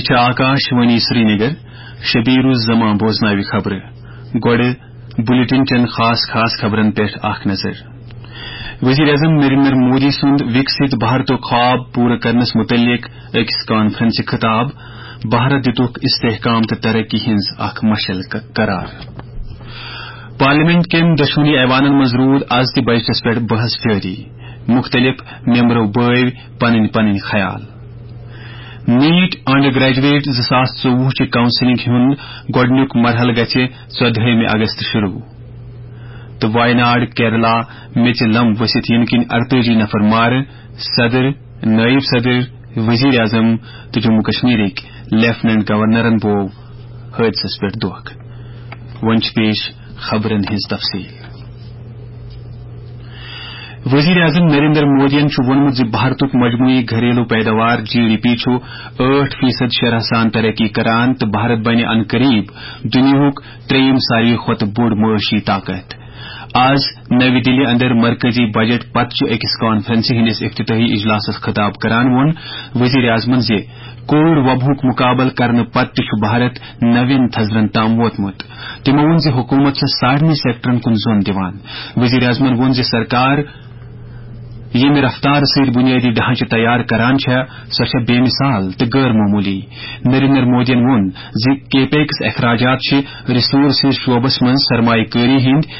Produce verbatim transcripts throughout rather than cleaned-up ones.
چھِ آکاش وانی سرینگر۔ شبیر الزمان بوزناوِ خبرٕ۔ گۄڈٕ بلیٹن چٮ۪ن خاص خاص خبرن پٮ۪ٹھ اکھ نظر۔ وزیر اعظم نریندر مودی سُنٛد وکست بھارتُک خواب پوٗرٕ کرنس متعلق أکِس کانفرنسہِ خطاب۔ بھارت دِتُکھ استحکام تہٕ ترقی ہٕنٛز اکھ مشعل ق-، قرار۔ پارلیمنٹ کٮ۪ن دۄشوٕنی ایوانن منٛز روٗد از تہِ بجٹس پٮ۪ٹھ بحث جٲری۔ مُختٔلِف ممبرو بٲوۍ پنٕنۍ پنٕنۍ خیال۔ نیٹ انڈر گریجویٹ زٕ ساس ژوٚوُہ چہِ کاؤنسلنگ ہُنٛد گۄڈٕنیُک مرحلہٕ گژھِ ژۄدہٲیمہِ اگست شروع۔ تہٕ وایناڈ کیرلا میٚژِ لم ؤسِتھ یِنہٕ کِنۍ اَرتٲجی نفر مارٕ، صدر، نٲیِب صدر، وزیر اعظم تہٕ جموں کشمیرٕکۍ لیفٹیننٹ گورنرن بوو حٲدثس پٮ۪ٹھ دھوکہ۔ وۄنۍ چھِ پیش خبرن ہٕنٛز تفصیل۔ وزیر اعظم نریندر مودیَن چھُ ووٚنمُت زِ بھارتُک مجموعی گھریلو پیداوار، جی ڈی پی، چھُ ٲٹھ فیصد شرح سان ترقی کران تہٕ بھارت بنہِ عنقریب دُنیاہُک ترٛیٚیِم ساروی کھۄتہٕ بوٚڑ معاشی طاقت۔ آز نَوِ دِلہِ اندر مرکزی بجٹ پتہٕ چھُ أکِس کانفرنسہِ ہٕنٛدِس افتتاحی اجلاسس خطاب کران ووٚن وزیر اعظمن زِ کووڈ وباہُک مقابلہٕ کرنہٕ پتہٕ تہِ چھُ بھارت نوٮ۪ن تھزرن تام ووتمُت۔ تِمو ووٚن زِ حکوٗمت چھےٚ سارنٕے سیکٹرن کُن زوٚن دِوان۔ وزیر اعظمن ووٚن زِ سرکار ییٚمہِ رفتارٕ سۭتۍ بُنیٲدی ڈھانچہٕ تیار کران چھےٚ، سۄ چھےٚ بے مثال تہٕ غٲر معموٗلی۔ نریندر مودیَن ووٚن زِ کیپیکس اخراجات چھِ ریسورسز شعبس منٛز سرمایہ کٲری ہٕنٛدۍ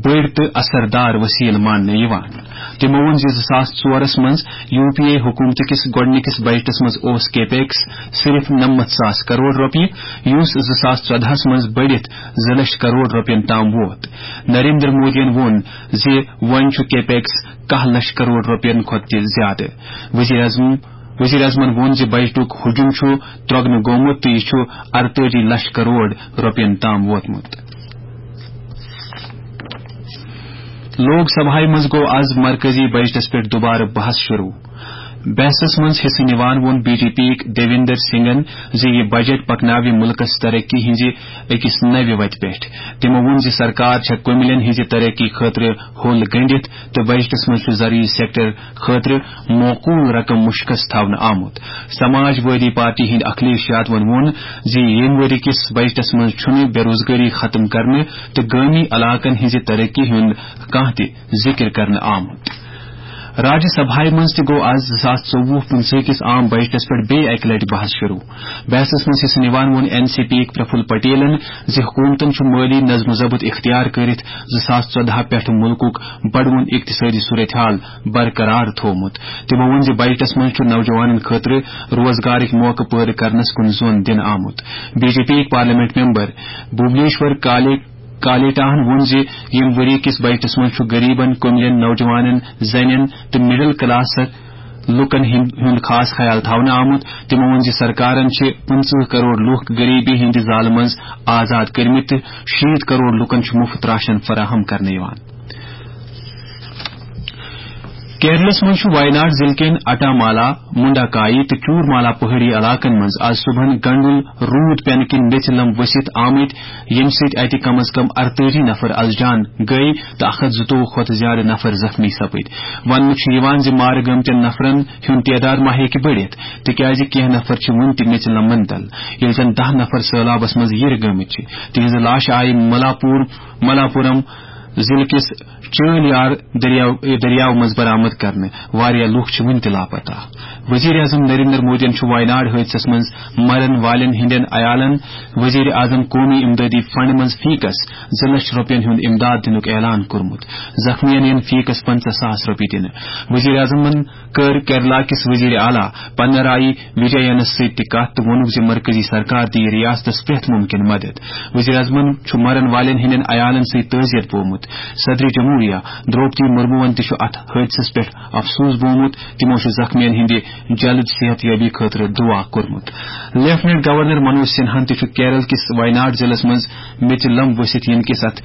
بٔڑۍ تہٕ اثر دار وسیلہٕ ماننہٕ یِوان۔ تِمو ووٚن زِ زٕ ساس ژورس منٛز یو پی اے حکومتہٕ کِس گۄڈٕنِکِس بجٹس منٛز اوس کیپیکس صرف نَمَتھ ساس کرور رۄپیہِ، یُس زٕ ساس ژۄدہَس منٛز بٔڑِتھ زٕ لچھ کرور رۄپین تام ووت۔ نریندر مودیَن ووٚن زِ وۄنۍ چھُ کیپیکس کاہ لچھ کرور رۄپین کھۄتہٕ تہِ زیادٕ۔ وزیر اعظم، وزیر اعظمن ووٚن زِ بجٹُک حجم چھُ ترۄگنہٕ گوٚمُت تہٕ یہِ چھُ اَرتٲجی لچھ کرور رۄپین تام ووتمُت۔ لوک سبھایہ منٛز گوٚو از مرکزی بجٹس پٮ۪ٹھ دوبارٕ بحث شروع۔ بحثس منٛز حصہٕ نِوان ووٚن بی جے پی یِکۍ دیویندر سنگھن زِ یہِ بجٹ پکناوِ مُلکس ترقی ہٕنٛزِ أکِس نوِ وتہِ پٮ۪ٹھ۔ تِمو ووٚن زِ سرکار چھےٚ کُمِلٮ۪ن ہٕنٛزِ ترقی خٲطرٕ ہوٚل گٔنٛڈِتھ تہٕ بجٹس منٛز چھُ زرعی سیکٹر خٲطرٕ معقول رقم مُشخص تھاونہٕ آمُت۔ سماج وادی پارٹی ہٕنٛدۍ اکھلیش یادون ووٚن زِ ییٚمہِ ؤری کِس بجٹس منٛز چھُنہٕ بے روزگٲری ختم کرنہٕ تہٕ گٲمی علاقن ہٕنٛزِ ترقی ہُنٛد کانٛہہ تہِ ذِکر کرنہٕ آمُت۔ راجیہ سبھایہ منٛز تہِ گوٚو از زٕ ساس ژوٚوُہ پٕنٛژٕہ کِس عام بجٹس پٮ۪ٹھ بیٚیہِ اکہِ لٹہِ بحث شروع۔ بحثس منٛز حصہٕ نِوان ووٚن این سی پی یِکۍ پرفل پٹیلن زِ حکوٗمتن چھُ مٲلی نظم و ضبط اختیار کٔرِتھ زٕ ساس ژۄدہ پٮ۪ٹھ مُلکُک بڑوُن اقتصٲدی صورتحال برقرار تھوومُت۔ تِمو ووٚن زِ بجٹس منٛز چھُ نوجوانن خٲطرٕ روزگارٕکۍ موقعہٕ پٲدٕ کرنس کُن زون دِنہٕ آمُت۔ بی جے پی یِکۍ پارلیمنٹ ممبر بھوبنیشور کالے کالیٹاہن ووٚن زِ ییٚمہِ ؤری کِس بجٹس منٛز چھُ غریبن، کُملٮ۪ن، نوجوانن، زنٮ۪ن تہٕ مڈل کلاس لوٗکن ہٕنٛد، ہُنٛد خاص خیال تھاونہٕ آمُت۔ تِمو ووٚن زِ سرکارن چھِ پٕنٛژٕہ کرور لوٗکھ غریبی ہٕنٛدِ زالہٕ منٛز آزاد کٔرمٕتۍ تہٕ شیٖتھ کرور لوٗکن چھُ مُفت راشن فراہم کرنہٕ یِوان۔ کیرلس منٛز چھُ وایناڈ ضلعہٕ کٮ۪ن اٹامالا، منڈاکایی تہٕ چورمالا پہٲڑی علاقن منٛز از صبحن گنڈُل روٗد پینہٕ کِنۍ میٚژِ لم ؤسِتھ آمٕتۍ، ییٚمہِ سۭتۍ اتہِ کم از کم اَرتٲجی نفر از جان گٔیہِ تہٕ اکھ ہتھ زٕتووُہ کھۄتہٕ زیادٕ نفر زخمی سپٕدۍ۔ وننہٕ چھُ یِوان زِ مارٕ گٲمتٮ۪ن نفرن ہُنٛد تعداد ما ہیٚکہِ بٔڑِتھ، تِکیازِ کینٛہہ نفر چھِ وُنہِ تہِ میٚژِ لمن تل، ییٚلہِ زن دَہ نفر سٔہلابس منٛز یِرٕ گٲمٕتۍ چھِ۔ تِہنٛزٕ لاشہٕ آیہِ ملاپور، ملاپورم ضلعہٕ کِس چٲلۍ یار دٔریاو، دٔریاو منٛز برآمد کرنہٕ۔ واریاہ لوٗکھ چھِ وُنہِ تہِ لاپتہ۔ وزیر اعظم نریندر مودیَن چھُ وایناڈ حٲدثس منٛز مرن والٮ۪ن ہٕنٛدٮ۪ن عیالَن وزیر اعظم قومی امدادی فنڈ منٛز فی کس زٕ لچھ رۄپین ہُنٛد امداد دِنُک اعلان کوٚرمُت۔ زخمیَن یِن فی کس پنٛژاہ ساس رۄپیہِ دِنہٕ۔ وزیر اعظمَن کٔر کیرلا کِس وزیر اعلیٰ پنرائی وجینَس سۭتۍ تہِ کتھ تہٕ ووٚنُکھ زِ مرکزی سرکار دِیہِ ریاستس پرٛٮ۪تھ مُمکِن مدد۔ وزیر اعظمَن چھُ مرن والٮ۪ن ہٕنٛدٮ۪ن عیالَن سۭتۍ تعزیت بوومُت۔ صدر جمہوریہ دروپدی مرموَن تہِ چھُ اتھ حٲدثس پٮ۪ٹھ افسوس بوومُت۔ تِمو چھُ زخمیَن ہٕنٛدِ جلد صحت یابی خٲطرٕ دعا کوٚرمُت۔ لیفٹیننٹ گورنر منوج سنہاہَن تہِ چھُ کیرل کِس وایناڈ ضلعس منٛز میٚژِ لم ؤسِتھ یِنہٕ کِس اتھ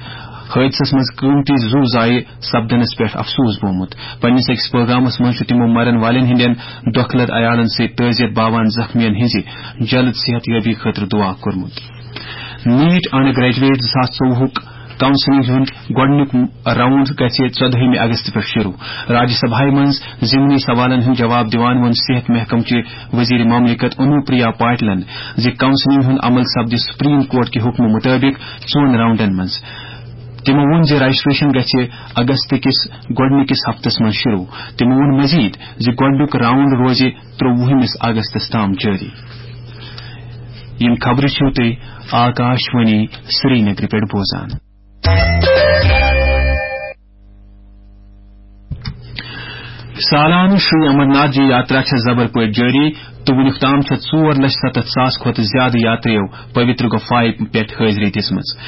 حٲدثس منٛز قۭمتی زُو ضایع سپدنس پٮ۪ٹھ افسوس بوومُت۔ پننِس أکِس پروگرامس منٛز چھُ تِمو مرن والٮ۪ن ہٕنٛدٮ۪ن دۄکھٕ لد عیالن سۭتۍ تعزیت باوان زخمیَن ہٕنٛزِ جلد صحت یابی خٲطرٕ دعا کوٚرمُت۔ نیٹ انڈر گریجویٹ زٕ ساس ژوٚوُہُک کاؤنسلنگ ہُنٛد گۄڈٕنیُک راؤنڈ گژھِ ژۄدہمہِ اگست پٮ۪ٹھ شروع۔ راجیہ سبھایہ منٛز ضمنی سوالن ہُنٛد جواب دِوان ووٚن صحت محکمہٕ چہِ وزیر مملکت انوپریا پاٹلن زِ کاؤنسلنگ ہُنٛد عمل سپدِ سپریم کورٹ کہِ حکمہٕ مُطٲبِق ژۄن راؤنڈن منٛز۔ تِمو ووٚن زِ رجسٹریشن گژھِ اگست کِس گۄڈٕنِکِس ہفتس منٛز شروع۔ تِمو ووٚن مزید زِ گۄڈٕنیُک راؤنڈ روزِ ترٛووُہمِس اگستس تام جٲری۔ یِم خبرٕ چھِو تُہۍ آکاش وانی سرینگرٕ پٮ۪ٹھ بوزان۔ سالانہٕ شری امرناتھ جی یاترا چھےٚ زبر پٲٹھۍ جٲری تہٕ وُنیُک تام چھےٚ ژور لچھ ستتھ ساس کھۄتہٕ زیادٕ یاترِیو پویتر گۄپھایہِ پٮ۪ٹھ حٲضری دِژمٕژ۔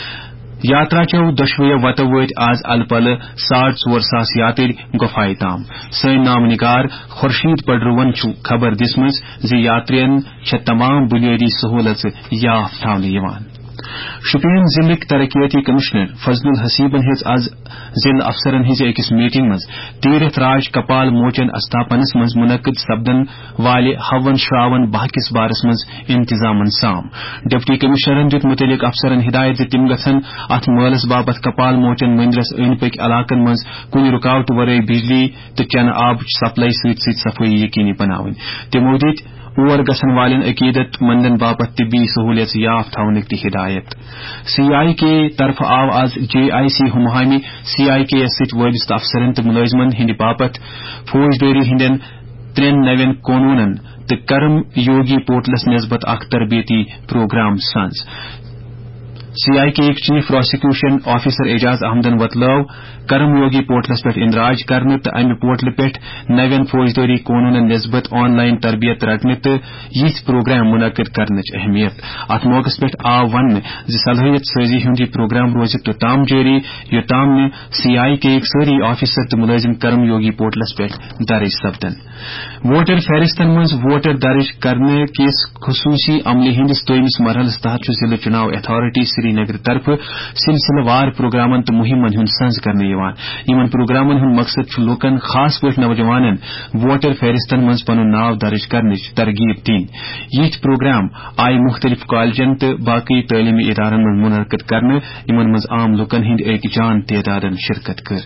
یاترا چٮ۪و دۄشوٕیو وتو وٲتۍ آز الہٕ پلہٕ ساڑ ژور ساس یاترۍ گۄپھایہِ تام۔ سٲنۍ نامہٕ نگار خورشید پڈروَن چھُ خبر دِژمٕژ زِ یاترین چھےٚ تمام بنیٲدی سہوٗلژٕ یاف تھاونہٕ یِوان۔ شوپین ضلعٕکۍ ترقیٲتی کمشنر فضل الحسیبن ہیٚژ از ضلع افسرن ہٕنٛزِ أکِس میٹنگ منٛز تیرتھ راج کپال موچن استھاپنس منٛز منعقد سپدن والہِ ہون شراون باہ کِس بارس منٛز انتظامن سام۔ ڈپٹی کمشنرن دیُت متعلق افسرن ہدایت زِ تِم گژھن اتھ مٲلس باپتھ کپال موچن مندرس أنٛدۍ پٔکۍ علاقن منٛز کُنہِ رُکاوٹہٕ ورٲے بجلی تہٕ چنہٕ آبٕچ سپلائی سۭتۍ سۭتۍ صفٲیی یقینی بناوٕنۍ۔ تِمو دِتۍ اور گژھن والٮ۪ن عقیدت مندن باپتھ طبی سہولیژٕ یاف تھاونٕکۍ تہِ ہدایت۔ سی آئی کے طرفہٕ آو آز جے آئی سی ہمہامہِ سی آئی کے یس سۭتۍ وابستہٕ افسرن تہٕ ملٲزمن ہٕنٛدِ باپتھ فوجدٲری ہٕنٛدٮ۪ن ترٛٮ۪ن نوٮ۪ن قونوٗنن تہٕ کرم یوگی پورٹلس نسبت اکھ تربیتی پروگرام سنٛز۔ سی آئی کے یِکۍ چیف پراسیکیوشن آفیسر اعجاز احمدن وۄتلٲو کرم یوگی پورٹلس پٮ۪ٹھ اندراج کرنہٕ تہٕ امہِ پورٹلہٕ پٮ۪ٹھ نوٮ۪ن فوجدٲری قونوٗنن نسبت آن لائن تربیت رٹنہٕ تہٕ یِتھۍ پروگرام منعقد کرنٕچ اہمیت۔ اتھ موقعس پٮ۪ٹھ آو وننہٕ زِ صلٲحیت سٲزی ہُنٛد یہِ پروگرام روزِ توٚتام جٲری، یوٚتام نہٕ سی آئی کے یِکۍ سٲری آفیسر تہٕ مُلٲزِم کرم یوگی پورٹلس پٮ۪ٹھ درٕج سپدن۔ ووٹر فہرستن منٛز ووٹر درٕج کرنہٕ کِس خصوٗصی عملہِ ہٕنٛدِس دوٚیمِس مرحلس تحت چھُ ضلع چُناو اتھارٹی سرینگر طرفہٕ سلسلہٕ وار پروگرامن تہٕ مُہِمن ہُنٛد سنٛز کرنہٕ یِوان۔ یِمن پروگرامن ہُنٛد مقصد چھُ لوٗکن، خاص پٲٹھۍ نوجوانن، ووٹر فہرستن منٛز پنُن ناو درٕج کرنٕچ ترغیب دِنۍ۔ یِتھۍ پروگرام آیہِ مُختٔلِف کالجن تہٕ باقٕے تعلیمی ادارن منٛز منعقد کرنہٕ، یِمن منٛز عام لوٗکن ہٕنٛدۍ أکۍ جان تعدادن شرکت کٔر۔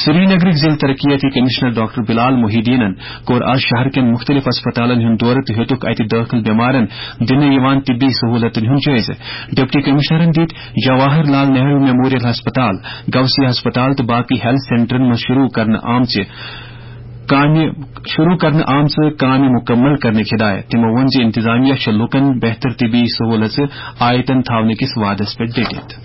سرینگرٕکۍ ضلع ترقیتی کمشنر ڈاکٹر بلال محی الدینن کوٚر آز شہر کٮ۪ن مُختٔلِف ہسپتالن ہُنٛد دورٕ تہٕ ہیوٚتُکھ اتہِ دٲخل بٮ۪مارن دِنہٕ یِوان طبی سہوٗلتن ہُنٛد جٲیزٕ۔ ڈپٹی کمشنرن دِتۍ جواہر لال نہرو میموریل ہسپتال، گوسی ہسپتال تہٕ باقٕے ہیلتھ سینٹرن منٛز شروع کرنہٕ آمژِ کامہِ، شروع کرنہٕ آمژٕ کامہِ مُکمل کرنٕچ ہدایت۔ تِمو ووٚن زِ انتظامیہ چھےٚ لوٗکن بہتر طبی سہوٗلژٕ آیتن تھاونہٕ کِس وعدس پٮ۪ٹھ ڈٔٹِتھ۔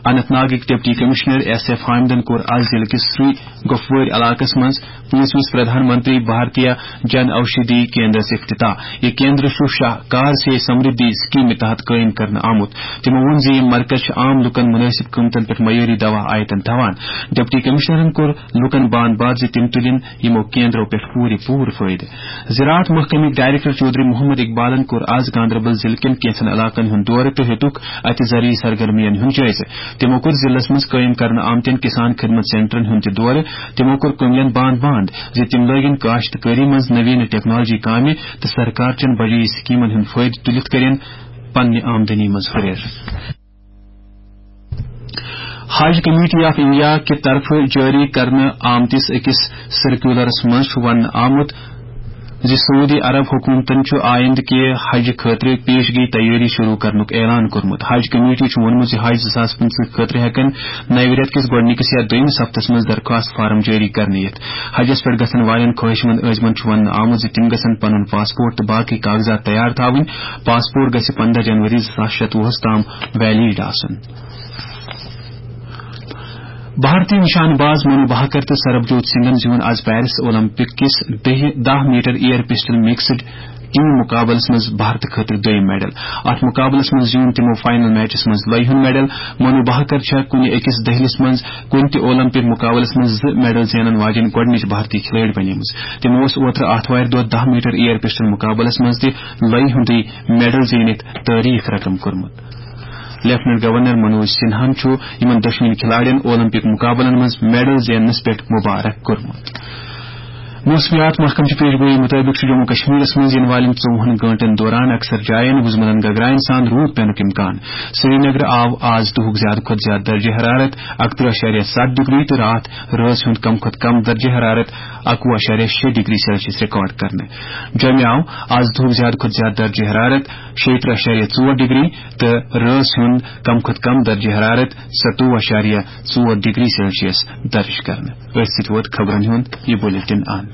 اننت ناگٕکۍ ڈپٹی کمشنر ایس ایف حامدن کوٚر آز ضلعہٕ کِس سری گۄپھوٲرۍ علاقس منٛز پانٛژمِس پردھان منتری بھارتیہ جن اوشدھی کیندرس افتتاح۔ یہِ کیندر چھُ شاہکار سے سمردھی سکیمہِ تحت قٲیِم کرنہٕ آمُت۔ تِمو ووٚن زِ یہِ مرکز چھُ عام لوٗکن مُنٲسِب قۭمتن پٮ۪ٹھ معیٲری دوا آیتن تھاوان۔ ڈپٹی کمشنرن کوٚر لوٗکن باند باد زِ تِم تُلِن یِمو کیندرو پٮ۪ٹھ پوٗرٕ پوٗرٕ فٲیدٕ۔ زراعت محکمٕکۍ ڈائریکٹر چودھری محمد اقبالن کوٚر آز گاندربل ضلعہٕ کٮ۪ن کینٛژن علاقن ہُنٛد دورٕ تہٕ ہیوٚتُکھ اتہِ زرعی سرگرمین ہُنٛد جٲیزٕ۔ تِمو کوٚر ضلعس منٛز قٲیِم کرنہٕ آمتٮ۪ن کسان خدمت سینٹرن ہُنٛد تہِ دورٕ۔ تِمو کوٚر کٔملین باند باند زِ تِم لٲگِن کاشتکٲری منٛز نوینہٕ ٹیکنالوجی کامہِ تہٕ سرکار چٮ۪ن بجے سکیمن ہُنٛد فٲیدٕ تُلِتھ کٔرِن پننہِ آمدنی منٛز ہُرٮ۪ر۔ حج کمیٹی آف انڈیا کہِ طرفہٕ جٲری کرنہٕ آمتِس أکِس سرکیولرس منٛز چھُ وننہٕ آمُت زِ سعودی عرب حکومتن چھُ آیندٕ کہِ حج خٲطرٕ پیشگی تیٲری شروع کرنُک اعلان کوٚرمُت۔ حج کمیٹی چھُ ووٚنمُت زِ حج زٕ ساس پٕنٛژٕہ خٲطرٕ ہٮ۪کن نوِ رٮ۪تہٕ کِس گۄڈٕنِکِس یا دوٚیمِس ہفتس منٛز درخواست فارم جٲری کرنہٕ یِتھ۔ حجس پٮ۪ٹھ گژھن والٮ۪ن خٲہِشمند عٲزمن چھُ وننہٕ آمُت زِ تِم گژھن پنُن پاسپورٹ تہٕ باقٕے کاغذات تیار تھاوٕنۍ۔ پاسپورٹ گژھِ پنٛداہ جنوری زٕ ساس شتوُہس تام ویلڈ آسُن۔ بھارتی نشانہٕ باز منو بھاکر تہٕ سربجوت سنگھن زیوٗن آز پیرس اولمپک کِس دَہہِ، دَہ metre air pistol mixed team مقابلس منٛز بھارتہٕ خٲطرٕ دوٚیِم میڈل۔ اتھ مقابلس منٛز زیوٗن تِمو فائنل میچس منٛز لۄیہِ ہُنٛد میڈل۔ منو بھاکر چھےٚ کُنہِ أکِس دٔہلِس منٛز کُنہِ تہِ اولمپک مقابلس منٛز زٕ میڈل زینن واجیٚنۍ گۄڈٕنِچ بھارتی کھلٲڑۍ بنیمٕژ۔ تِمو اوس اوترٕ آتھوارِ دۄہ دَہ میٹر ایئر پسٹل مقابلس منٛز تہِ لۄیہِ ہُنٛدُے میڈل زیٖنِتھ تٲریخ رقم کوٚرمُت۔ لیفٹیننٹ گورنر منوج سنہاہن چھُ یِمن دۄشوٕنی کھلاڑٮ۪ن اولمپک مقابلن منٛز میڈل زیننس پٮ۪ٹھ مبارک کوٚرمُت۔ موسمیات محکمہٕ چہِ پیش گویی مُطٲبِق چھُ جموں کشمیرس منٛز یِنہٕ والٮ۪ن ژوٚوُہن گٲنٛٹن دوران اکثر جاین وُزمٕژن گگراین سان روٗد پینُک امکان۔ سرینگرٕ آو آز دُہُک زیادٕ کھۄتہٕ زیادٕ درجہ حرارت اکترٕہ اَشاریہ ستھ ڈگری تہٕ راتھ رٲژ ہُنٛد کم کھۄتہٕ کم درجہ حرارت اکوُہ اَشاریہ شےٚ ڈگری سیلسیس ریکارڈ کرنہٕ۔ جوٚمہِ آو آز دُہُک زیادٕ کھۄتہٕ زیادٕ درجہ حرارت شیٚیہِ ترٕٛہ اَشاریہ ژور ڈگری تہٕ رٲژ ہُنٛد کم کھۄتہٕ کم درجہ حرارت ستوُہ اَشاریہ ژور ڈگری سیلسیس درج کرنہٕ۔ أتھۍ سۭتۍ ووت خبرن ہُنٛد یہِ بُلیٹن اند۔